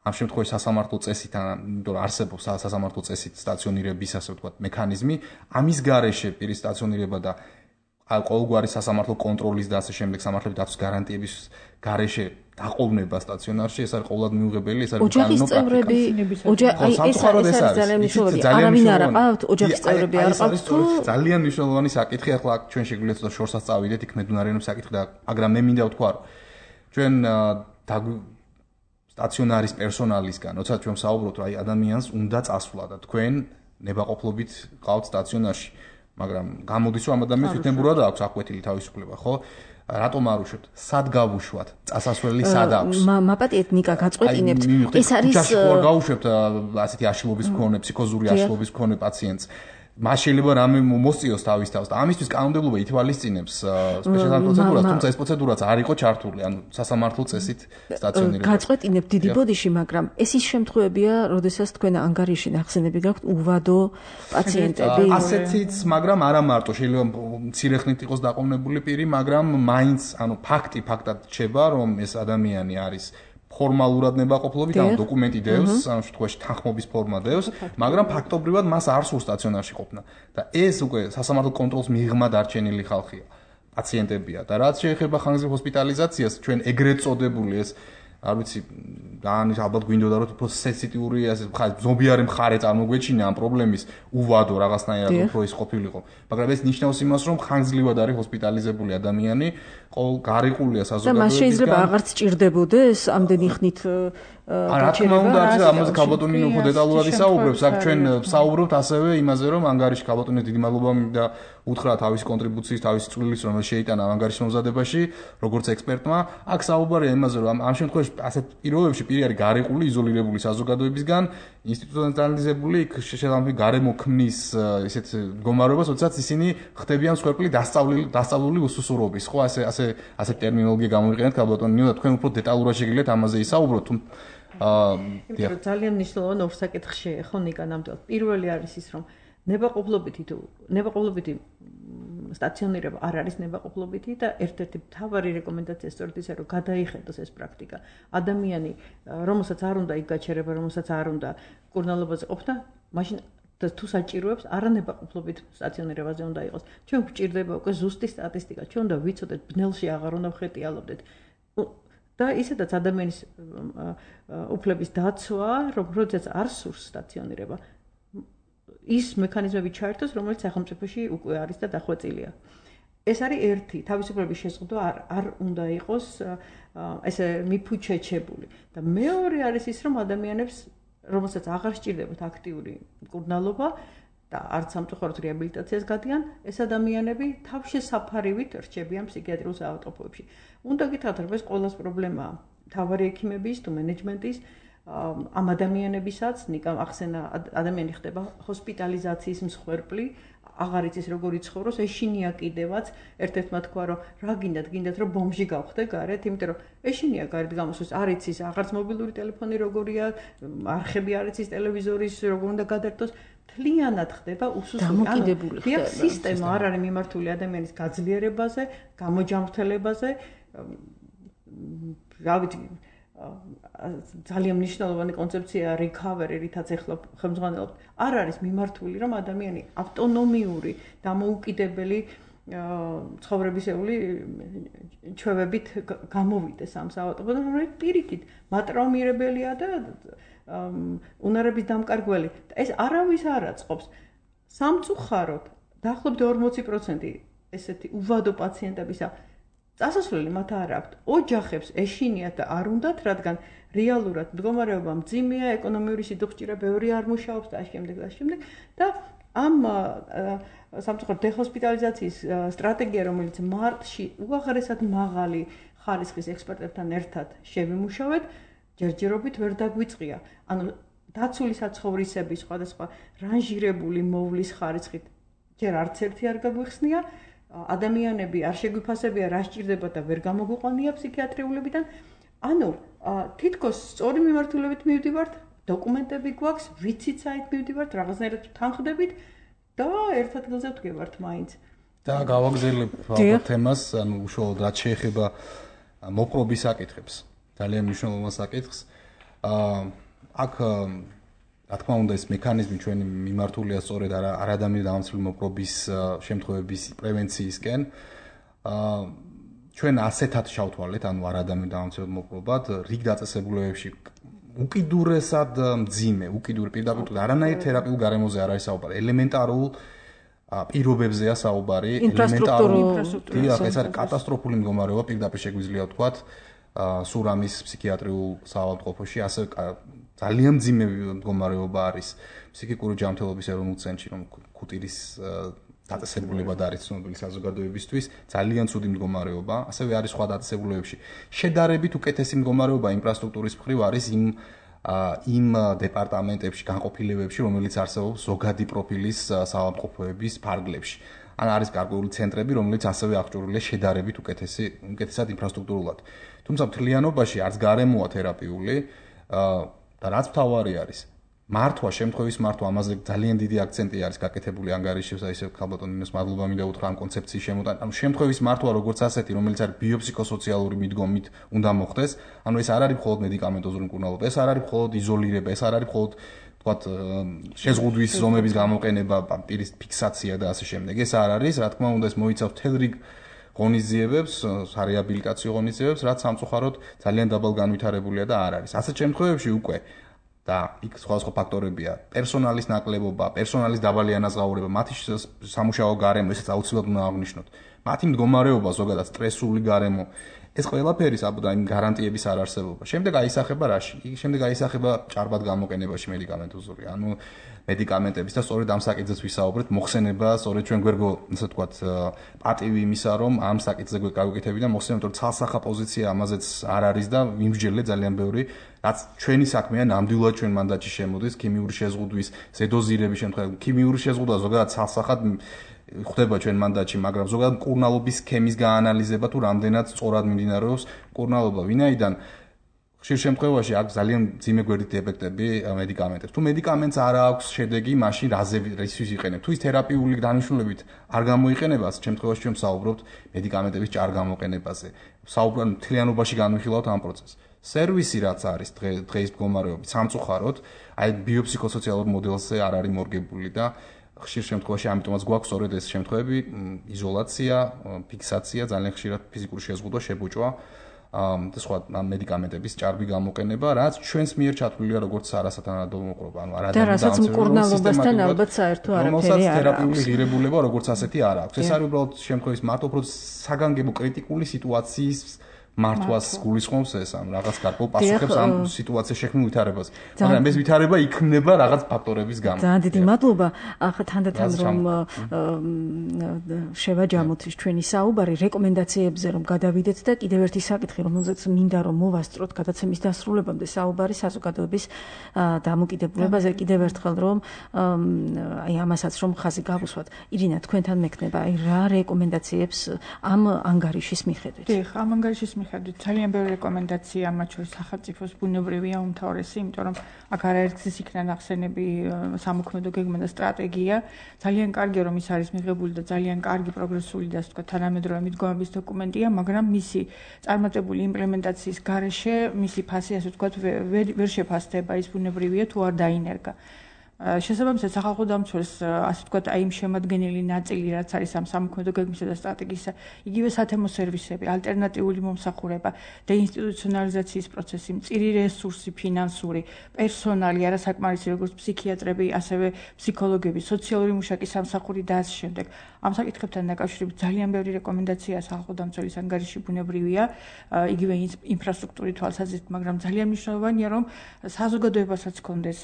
ამ შემთხვევაში სასამართლო წესით, იმიტომ რომ არსებობს სასამართლო წესით სტაციონირების ასე ვთქვათ მექანიზმი, ამის გარეშე პირის სტაციონირება და ყოველგვარი სასამართლო კონტროლის და ასე შემდეგ სამართლების დაცვის გარანტიების გარეშე დაყოვნება სტაციონარში, ეს არის ყოველად მიუღებელი, ეს არის ოჯახის წევრები, ეს არის ძალიან მნიშვნელოვანი. არავინ არ აყავთ, ოჯახის წევრები არ აყავთ თუ ძალიან მნიშვნელოვანი საკითხი, ახლა ჩვენ შეგვიძლია ცოტა შორსაც წავიდეთ, იქ მედუნარიანობის საკითხი და მაგრამ მე მინდა ვთქვა, რომ ჩვენ სტაციონარის პერსონალისგან, როცა ჩვენ საუბრობთ, რომ აი ადამიანს უნდა წასვლა და თქვენ ნებაყოფლობით ყავთ სტაციონარში, მაგრამ გამოდის რომ ამ ადამიანს თვითნებურად აქვს აკვეთილი თავისუფლება, ხო? რატომ არ უშვებთ? სად გავუშვათ? წასასვლელი სად აქვს? მაპატიეთ ნიკა გაწყვეტინებთ. ეს არის ჯაში ხო არ გავუშვებთ ასეთი აშლობის მქონე, ფსიქოზური აშლობის მქონე პაციენტს. მას შეიძლება რამე მოსწიოს თავის თავს და ამისთვის კანონმდებლობა ითვალისწინებს სპეციალურ პროცედურას, თუმცა ეს პროცედურაც არ იყო ჩართული, ანუ სასამართლო წესით სტაციონირება. გაწყვეტინებთ დიდი ბოდიში, მაგრამ ეს ის შემთხვევებია, როდესაც თქვენ ანგარიში ნახსენები გაქვთ უვადო პაციენტები. ასეთიც, მაგრამ არა მარტო, შეიძლება მცირე ხნით იყოს დაყოვნებული პირი, მაგრამ მაინც, ანუ ფაქტად რჩება, რომ ეს ადამიანი არის ფორმალურად ნებაყოფლობით, ანუ დოკუმენტი დევს, ამ შემთხვევაში თანხმობის ფორმა დევს, მაგრამ ფაქტობრივად მას არ სურს სტაციონარში ყოფნა. და ეს უკვე სასამართლო კონტროლს მიღმა დარჩენილი ხალხია, პაციენტებია. და რაც შეეხება ხანგრძლივ ჰოსპიტალიზაციას, ჩვენ ეგრეთ წოდებული ეს არ ვიცი, დაანის ალბათ გვინდოდა რომ უფრო სენსიტიური ასე ზომბიარი მხარე წარმოგვეჩინა ამ პრობლემის უვადო რაღაცნაირად უფრო ის ყოფილიყო. მაგრამ ეს ნიშნავს იმას, რომ ხანგრძლივად არის ჰოსპიტალიზებული ადამიანი, გარიყულია საზოგადოებისგან. და მას შეიძლება აღარც ჭირდებოდეს ამდენი ხნით რა თქმა უნდა, ამაზე ქალბატონი უფრო დეტალურად ისაუბრებს. აქ ჩვენ ვსაუბრობთ ასევე იმაზე, რომ ანგარიში ქალბატონის დიდი მადლობა მინდა უთხრა თავის კონტრიბუციის, თავის წვლილს, რომელიც შეიტანა ანგარიშის მომზადებაში, როგორც ექსპერტმა. აქ საუბარია იმაზე, რომ ამ შემთხვევაში ასეთ პირობებში პირი არის გარიყული, იზოლირებული საზოგადოებისგან, ინსტიტუციონალიზებული, იქ შესაძლებელი გარემო ქმნის ესეთ მდგომარეობას, როდესაც ისინი ხდებიან მსხვერპლი დასწავლული უსუსურობის. ხო, ასე ტერმინოლოგია გამოვიყენეთ ქალბატონი და თქვენ უფრო დეტალურად შეგიძლიათ ამაზე ისაუბროთ. იმიტომ რომ ძალიან მნიშვნელოვანი ორ საკითხში ხო ნიკა ნამდვილად. პირველი არის ის, რომ ნებაყოფლობითი სტაციონირება არ არის ნებაყოფლობითი და ერთ-ერთი მთავარი რეკომენდაცია სწორედ ისე რომ გადაიხედოს ეს პრაქტიკა. ადამიანი, რომელსაც არ უნდა იქ გაჩერება, რომელსაც არ უნდა კურნალობაზე ყოფნა, მაშინ და თუ საჭიროებს არანებაყოფლობით სტაციონირებაზე უნდა იყოს. ჩვენ გვჭირდება უკვე ზუსტი სტატისტიკა. ჩვენ უნდა ვიცოდეთ, ბნელში აღარ უნდა ვხეტიალობდეთ. და ისედაც ადამიანის უფლების დაცვა, როდესაც არ სურს სტაციონირება, ის მექანიზმები ჩაერთოს, რომელიც სახელმწიფოში უკვე არის და დახვეწილია. ეს არის ერთი, თავისუფლების შეზღუდვა არ უნდა იყოს ესე მიფუჩეჩებული. და მეორე არის ის, რომ ადამიანებს, რომელსაც აღარ სჭირდებათ აქტიური მკურნალობა და არც სამწუხაროდ რეაბილიტაციას გადიან, ეს ადამიანები თავშესაფარივით რჩებიან ფსიქიატრიულ საავადმყოფოებში. უნდა გითხრათ, რომ ეს ყოველას პრობლემაა მთავარი ექიმების თუ მენეჯმენტის ამ ადამიანებისაც, ნიკამ ახსენა, ადამიანი ხდება ჰოსპიტალიზაციის მსხვერპლი, აღარ იცის როგორ იცხოვროს, ეშინია კიდევაც, ერთ-ერთმა თქვა რომ რა გინდათ რომ ბომჟი გავხდე გარეთ, იმიტომ რომ ეშინია გარეთ გამოსვლის, არ იცის აღარც მობილური ტელეფონი როგორია, არხები არ იცის ტელევიზორის როგორ უნდა გადაერთოს, თლიანად ხდება უსუსტი, ანუ სისტემა არ არის მიმართული ადამიანის გაძლიერებაზე, გამოჯანმრთელებაზე, რა ვიცი ძალიან მნიშვნელოვანი კონცეფცია recovery, რითაც ახლა ხელმძღვანელობთ, არ არის მიმართული, რომ ადამიანი ავტონომიური, დამოუკიდებელი ცხოვრებისეული ჩვევებით გამოვიდეს ამ საავადმყოფოდან, რომელიც პირიქით მატრაუმირებელია და უნარების დამკარგველი. ეს არავის არ აწყობს. სამწუხაროდ, დაახლოებით 40% ესეთი უვადო პაციენტებისა წასასვლელი მათ არ აქვთ. ოჯახებს ეშინიათ და არ უნდათ, რადგან რეალურად მდგომარეობა მძიმეა, ეკონომიური სიდუხჭირა ბევრი არ მუშაობს და შემდეგ და ამ სამწუხაროდ დეჰოსპიტალიზაციის სტრატეგია, რომელიც მარტში უაღრესად მაღალი ხარისხის ექსპერტებთან ერთად შევიმუშავეთ, ჯერჯერობით ვერ დაგვიწყია. ანუ დაცული საცხოვრისების სხვადასხვა რანჟირებული მოვლის ხარისხით ჯერ არც ერთი არ გაგვიხსნია. ადამიანები არ შეგვიფასებია რა სჭირდება და ვერ გამოგვიყვანია ფსიქიატრიულებიდან. ანუ თითქოს სწორი მიმართულებით მივდივართ, დოკუმენტები გვაქვს, ვიცით საით მივდივართ, რაღაცნაირად თანხდებით და ერთ ადგილზე ვდგებართ მაინც. და გავაგზავნებ ალბათ თემას, ანუ უშუალოდ რაც შეეხება მოპყრობის საკითხებს. ძალიან მნიშვნელოვან საკითხს. აქ რა თქმა უნდა ეს მექანიზმი ჩვენი მიმართულია სწორედ არადამი დამამცირებელი მოპყრობის შემთხვევების პრევენციისკენ. ჩვენ ასეთად შავთვალეთ, ანუ არადამი დამამცირებელი მოპყრობად, რიგ დაწესებულებებში უკიდურესად მძიმე, პირდაპირ არანაირ თერაპიულ გარემოზე არ არის საუბარი, ელემენტარულ პირობებზეა საუბარი, ელემენტარულ ეს არის კატასტროფული მდგომარეობა, პირდაპირ შეგვიძლია ვთქვათ, სურამის ფსიქიატრიულ საავადმყოფოში, ასე ძალიან მძიმე მდგომარეობა არის ფსიქიკური ჯანმრთელობის ეროვნულ ცენტრში, რომ ქუტირის დაწესებულებად არის ცნობილი საზოგადოებისთვის, ძალიან ცუდი მდგომარეობა, ასევე არის სხვა დაწესებულებებში. შედარებით უკეთესი მდგომარეობა ინფრასტრუქტურის მხრივ არის იმ დეპარტამენტებში, განყოფილებებში, რომელიც არსებობს ზოგადი პროფილის საავადმყოფოების ფარგლებში. ან არის გარკვეული ცენტრები, რომელიც ასევე აღჭურვილია შედარებით უკეთესად ინფრასტრუქტურულად. თუმცა მთლიანობაში არც გარემოა თერაპიული და რაც მთავარი არის, მართვა, შემთხვევის მართვა, ამაზე ძალიან დიდი აქცენტი არის გაკეთებული ანგარიშში, ისე ქალბატონ ნინოს მადლობა მინდა უთხრა ამ კონცეფციის შემოტანა. ანუ შემთხვევის მართვა როგორც ასეთი, რომელიც არის ბიოფსიქოსოციალური მიდგომით უნდა მოხდეს, ანუ ეს არ არის მხოლოდ მედიკამენტოზური მკურნალობა, ეს არ არის მხოლოდ იზოლირება, ეს არ არის მხოლოდ თქვათ შეზღუდვის ზომების გამოყენება, პირის ფიქსაცია და ასე შემდეგ. ეს არ არის, რა თქმა უნდა, ეს მოიცავს მთელ რიგ ღონისძიებებს, სარეაბილიტაციო ღონისძიებებს, რაც სამწუხაროდ ძალიან დაბალ განვითარებულია და არ არის. ასეთ შემთხვევებში უკვე და იქ სხვადასხვა ფაქტორებია, პერსონალის ნაკლებობა, პერსონალის დაბალი ანაზღაურება, მათი სამუშაო გარემო, ესეც აუცილებლად უნდა აღნიშნოთ. მათი მდგომარეობა, ზოგადად სტრესული გარემო, ეს ყველაფერი საბუდა იმ გარანტიების არ არსებობა. შემდეგ აისახება რაში? შემდეგ აისახება ჭარბად გამოყენებაში მედიკამენტოზური, ანუ მედიკამენტების და სწორედ ამ საკითხზეც ვისაუბრეთ, მოხსენება, სწორედ ჩვენ გვერგო, ასე ვთქვათ, პატივი იმისა, რომ ამ საკითხზე გავიკეთები და მოხსენებთ, რომ ცალსახა პოზიცია ამაზეც არ არის და ვიმსჯელე ძალიან ბევრი, რაც ჩვენი საქმეა, ნამდვილად ჩვენ მანდატში შემოდის ქიმიური შეზღუდვის, ზედოზირების შემთხვევაში, ქიმიური შეზღუდვა ზოგადად ცალსახად ხდება ჩვენ მანდატში, მაგრამ ზოგადად მკურნალობის სქემის გაანალიზება თუ რამდენად სწორად მიმდინარეობს მკურნალობა, ვინაიდან ხშირ შემთხვევაში აქვს ძალიან მძიმე გვერდითი ეფექტები მედიკამენტებს. თუ მედიკამენტს არ აქვს შედეგი, მაშინ რაზევის იყენებ? თუ ის თერაპიული დანიშნულებით არ გამოიყენება, ამ შემთხვევაში ჩვენ ვსაუბრობთ მედიკამენტების ჭარ გამოყენებაზე. ვსაუბრობთ მთლიანობაში განვიხილავთ ამ პროცესს. სერვისი რაც არის დღეის მდგომარეობით, სამწუხაროდ, აი ბიოფსიქოსოციალურ მოდელზე არ არის მორგებული და ხშირ შემთხვევაში ამიტომაც გვაქვს სწორედ ეს შემთხვევები, იზოლაცია, ფიქსაცია, ძალიან ხშირად ფიზიკური შეზღუდვა, შებოჭვა და სხვა მედიკამენტების ჭარბი გამოყენება, რაც ჩვენს მიერ ჩათვლილია როგორც არასათანადო მოპყრობა, ანუ და რასაც მკურნალობასთან ალბათ საერთო არაფერი არ აქვს. თერაპიული ღირებულება როგორც ასეთი არ აქვს. ეს არის უბრალოდ შემთხვევის მარტო უფრო საგანგებო კრიტიკული სიტუაციის მართვას გულისხმობს ეს ამ რაღაც გარკვეულ პასუხებს ამ სიტუაციაში შექმნილ ვითარებას. მაგრამ ეს ვითარება იქმნება რაღაც ფაქტორების გამო. ძალიან დიდი მადლობა. ახლა თანდათან რომ შევაჯამოთ ჩვენი საუბარი რეკომენდაციებზე რომ გადავიდეთ და კიდევ ერთი საკითხი რომელზეც მინდა რომ მოვასწროთ გადაცემის დასრულებამდე საუბარი საზოგადოების დამოკიდებულებაზე კიდევ ერთხელ რომ აი ამასაც რომ ხაზი გავუსვათ. ირინა თქვენთან მექნება აი რა რეკომენდაციებს ამ ანგარიშის მიხედვით? დიახ, ამ ანგარიშის მიხედვით ძალიან ბევრი რეკომენდაცია მათ შორის სახელმწიფოს ბუნებრივია უმთავრესი, იმიტომ რომ აქ არაერთგზის იქნა ნახსენები სამოქმედო გეგმა და სტრატეგია. ძალიან კარგია რომ ის არის მიღებული და ძალიან კარგი პროგრესული და ასე ვთქვათ თანამედროვე მიდგომების დოკუმენტია, მაგრამ მისი წარმატებული იმპლემენტაციის გარეშე მისი ფასი ასე ვთქვათ ვერ შეფასდება ის ბუნებრივია თუ არ დაინერგა. შესაბამისად სახალხო დამცველს ასე ვთქვათ აი იმ შემადგენელი ნაწილი რაც არის ამ სამოქმედო გეგმისა და სტრატეგიისა იგივე სათემო სერვისები, ალტერნატიული მომსახურება, დეინსტიტუციონალიზაციის პროცესი, მწირი რესურსი, ფინანსური, პერსონალი, არასაკმარისი როგორც ფსიქიატრები, ასევე ფსიქოლოგები, სოციალური მუშაკი სამსახური და ასე შემდეგ. ამ საკითხებთან დაკავშირებით ძალიან ბევრი რეკომენდაციაა სახალხო დამცველის ანგარიში ბუნებრივია, იგივე ინფრასტრუქტურის თვალსაზრისით, მაგრამ ძალიან მნიშვნელოვანია რომ საზოგადოებასაც ჰქონდეს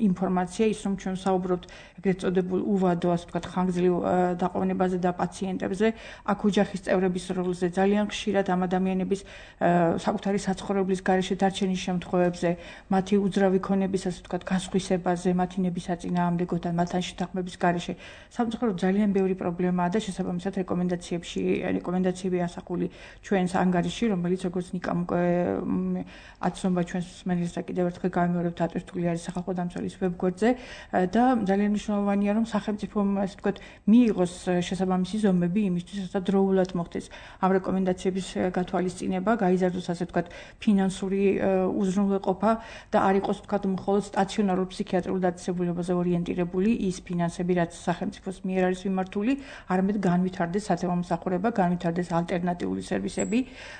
ინფორმაცია ის რომ ჩვენ საუბრობთ ეგრეთ წოდებულ უვადო ასე ვთქვათ ხანგრძლივ დაყოვნებაზე და პაციენტებზე აქ ოჯახის წევრების როლზე ძალიან ხშირად ამ ადამიანების საკუთარი საცხოვრებლის გარეშე დარჩენის შემთხვევებზე მათი უძრავი ქონების ასე ვთქვათ გასხვისებაზე მათი ნებისაწინააღმდეგო და მათთან შეთანხმების გარეშე სამწუხაროდ ძალიან ბევრი პრობლემაა და შესაბამისად რეკომენდაციები ასახული ჩვენს ანგარიში რომელიც როგორც ნიკამ აცნობა ჩვენს მსმენელს და კიდევ ერთხელ გამიმეორებთ ატვირთული არის სახალხო დამცველის ვებგვერდზე და ძალიან მნიშვნელოვანია რომ სახელმწიფომ ასე ვთქვათ მიიღოს შესაბამისი ზომები იმისთვის რათა დროულად მოხდეს ამ რეკომენდაციების გათვალისწინება, გაიზარდოს ასე ვთქვათ ფინანსური უზრუნველყოფა და არ იყოს ვთქვათ მხოლოდ სტაციონარულ ფსიქიატრიულ დაწესებულებაზე ორიენტირებული ის ფინანსები რაც სახელმწიფოს მიერ არის მიმართული, არამედ განვითარდეს სათემო მომსახურება, განვითარდეს ალტერნატიული სერვისები,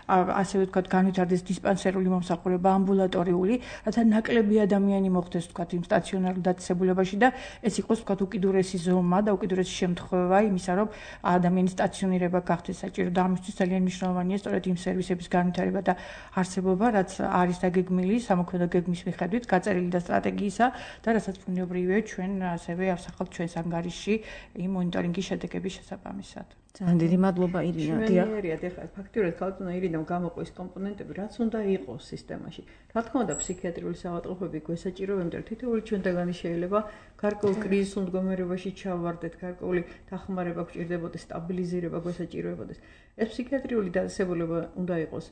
ასევე ვთქვათ განვითარდეს დისპანსერული მომსახურება, ამბულატორიული, რათა ნაკლები ადამიანი მოხდეს ვთქვათ იმ სტაციონარულ დაწესებულებაში და ეს იყოს ვთქვათ უკიდურესი ზომა და უკიდურესი შემთხვევა იმისა რომ ადამიანის სტაციონირება გახდეს საჭირო და ამისთვის ძალიან მნიშვნელოვანია სწორედ იმ სერვისების განვითარება და არსებობა რაც არის დაგეგმილი სამოქმედო გეგმის მიხედვით გაწერილი და სტრატეგიისა და რასაც ბუნებრივია ჩვენ ასევე ავსახავთ ჩვენს ანგარიშში იმ მონიტორინგის შედეგების შესაბამისად. ძალიან დიდი მადლობა ირინა. მშვენიერია ეხლა ფაქტურად ქალბატონო ირინამ გამოყვის კომპონენტები რაც უნდა იყოს სისტემაში. რა თქმა უნდა ფსიქიატრიული საავადმყოფოები გვესაჭიროებენ და თითოეული ჩვენთაგანი შეიძლება გარკვეულ კრიზისულ მდგომარეობაში ჩავარდეთ, გარკვეული დახმარება გვჭირდებოდეს, სტაბილიზირება გვესაჭიროებოდეს. ეს ფსიქიატრიული დაწესებულება უნდა იყოს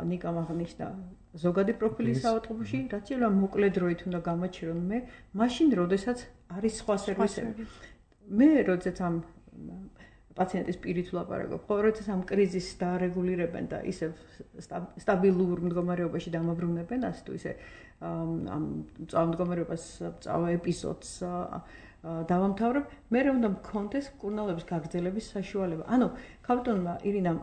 ნიკამ აღნიშნა ზოგადი პროფილის საავადმყოფოში, რაც შეიძლება მოკლე დროით უნდა გამაჩერონ მე, მაშინ როდესაც არის სხვა სერვისები. მე როდესაც ამ პაციენტის პირით ვლაპარაკობ, ხო, როდესაც ამ კრიზისს დაარეგულირებენ და ისევ სტაბილურ მდგომარეობაში დამაბრუნებენ, ასე თუ ისე ამ მწვავე მდგომარეობას, მწვავე ეპიზოდს დავამთავრებ, მე უნდა მქონდეს მკურნალობის გაგრძელების საშუალება. ანუ ქალბატონმა ირინამ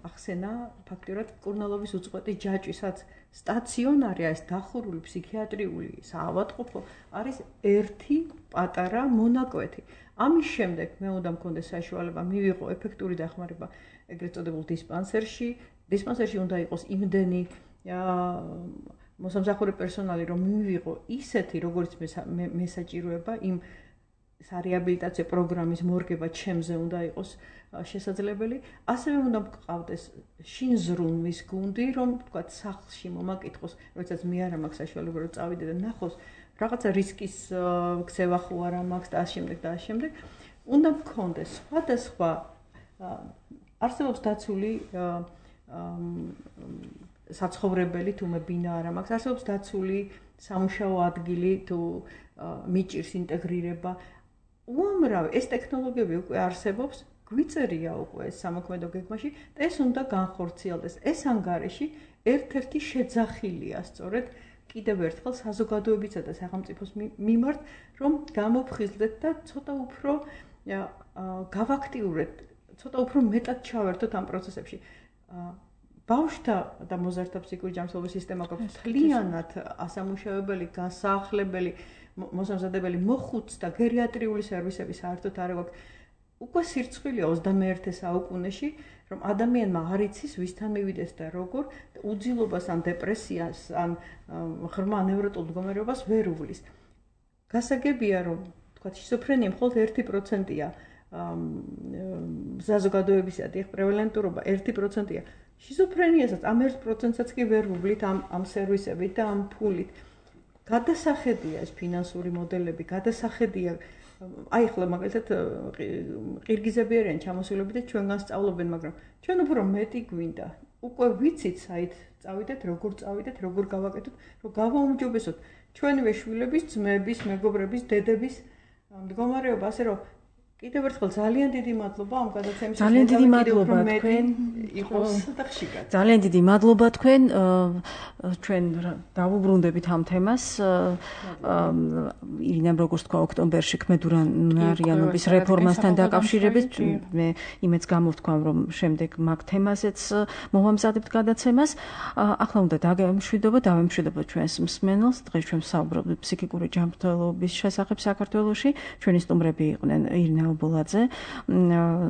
ახსენა ფაქტურად მკურნალობის უწყვეტი ჯაჭვისაც სტაციონარი ეს დახურული ფსიქიატრიული საავადმყოფო არის ერთი პატარა მონაკვეთი. ამის შემდეგ მე უნდა მქონდეს საშუალება მივიღო ეფექტური დახმარება ეგრეთ წოდებულ დისპანსერში. დისპანსერში უნდა იყოს იმდენი მოსამსახურე პერსონალი, რომ მივიღო ისეთი, როგორც მე საჭიროება იმ სარეაბილიტაციო პროგრამის მორგება ჩემზე უნდა იყოს შესაძლებელი. ასევე უნდა მყავდეს შინზრუნვის გუნდი, რომ თქვათ სახლში მომაკითხოს, როდესაც მე არ მაქვს საშუალება რომ წავიდე და ნახოს რაღაცა რისკის ქცევა ხო არა მაქვს და ამ შემდეგ. უნდა მქონდეს სხვადასხვა არსებობს დაცული საცხოვრებელი თუ მე ბინა არა მაქვს, არსებობს დაცული სამუშაო ადგილი თუ მიჭირს ინტეგრირება. უამრავი ეს ტექნოლოგიები უკვე არსებობს, გვიწერია უკვე ეს სამოქმედო გეგმაში და ეს უნდა განხორციელდეს. ეს ანგარიში ერთ-ერთი შეძახილია სწორედ კიდევ ერთხელ საზოგადოებისა და სახელმწიფოს მიმართ, რომ გამოფხიზლდეთ და ცოტა უფრო გავაქტიურეთ, ცოტა უფრო მეტად ჩავერთოთ ამ პროცესებში. ბავშვთა და მოზარდთა ფსიქიკური ჯანმრთელობის სისტემა გვაქვს მთლიანად ასამუშავებელი, გასაახლებელი, მოსამზადებელი, მოხუც და გერიატრიული სერვისები საერთოდ არ გვაქვს. უკვე სირცხვილია 21 საუკუნეში, რომ ადამიანმა არ იცის ვისთან მივიდეს და როგორ უძილობას ან დეპრესიას ან ღრმა ნევროტულ მდგომარეობას ვერ უვლის. გასაგებია, რომ თქვა შიზოფრენია მხოლოდ 1%-ია საზოგადოებისა და პრევალენტურობა 1%-ია. შიზოფრენიასაც ამ 1%-საც კი ვერ ვუვლით ამ სერვისებით და ამ ფულით. გადასახედია ეს ფინანსური მოდელები, გადასახედია აი ახლა მაგალითად ყირგიზები არიან ჩამოსულები და ჩვენგან სწავლობენ, მაგრამ ჩვენ უფრო მეტი გვინდა. უკვე ვიცით საით წავიდეთ, როგორ წავიდეთ, როგორ გავაკეთოთ, რომ გავაუმჯობესოთ ჩვენივე შვილების, ძმების, მეგობრების, დედების მდგომარეობა, ასე რომ კიდევ ერთხელ ძალიან დიდი მადლობა ამ გადაცემისთვის. ძალიან დიდი მადლობა თქვენ იყოს და ხშირად. ძალიან დიდი მადლობა თქვენ. ჩვენ დავუბრუნდებით ამ თემას. ირინამ როგორც თქვა ოქტომბერში ქმედურანარიანობის რეფორმასთან დაკავშირებით მე იმეც გამოვთქვა რომ შემდეგ მაგ თემაზეც მოვამზადებთ გადაცემას. ახლა უნდა დავემშვიდობოთ ჩვენს მსმენელს. დღეს ჩვენ საუბრობთ ფსიქიკური ჯანმრთელობის შესახებ საქართველოში. ჩვენი სტუმრები იყვნენ ირინა ბოლაძე,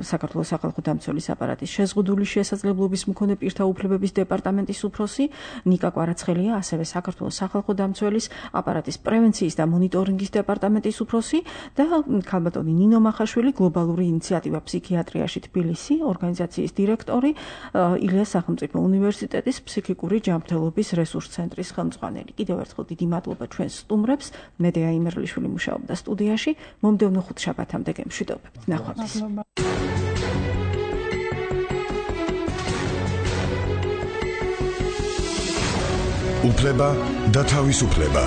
საქართველოს სახალხო დამცველის აპარატის შეზღუდული შესაძლებლობის მქონე პირთა უფლებების დეპარტამენტის უფროსი, ნიკა კვარაცხელია, ასევე საქართველოს სახალხო დამცველის აპარატის პრევენციის და მონიტორინგის დეპარტამენტის უფროსი და ქალბატონი ნინო მახაშვილი, გლობალური ინიციატივა ფსიქიატრიაში თბილისი ორგანიზაციის დირექტორი, ილიას სახელმწიფო უნივერსიტეტის ფსიქიკური ჯანმრთელობის რესურს ცენტრის ხელმძღვანელი. კიდევ ერთხელ დიდი მადლობა ჩვენს სტუმრებს. მედეა იმერლიშვილი მუშაობდა სტუდიაში. მომდევნო ხუთშაბათამდე გემშვიდობთ. ნახვამდის. უფლება და თავისუფლება.